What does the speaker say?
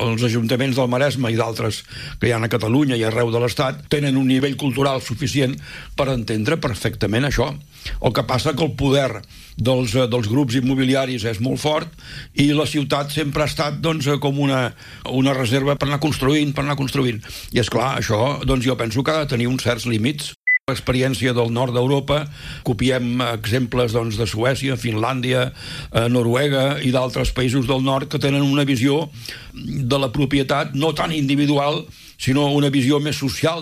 els ajuntaments del Maresme i d'altres que hi ha a Catalunya i arreu de l'Estat tenen un nivell cultural suficient per entendre perfectament això. El que passa que el poder dels grups immobiliaris és molt fort i la ciutat sempre ha estat com una reserva per anar construint. I és clar, això jo penso que ha de tenir uns certs límits. L'experiència del nord d'Europa, copiem exemples de Suècia, Finlàndia, Noruega i d'altres països del nord que tenen una visió de la propietat no tan individual, sinó una visió més social.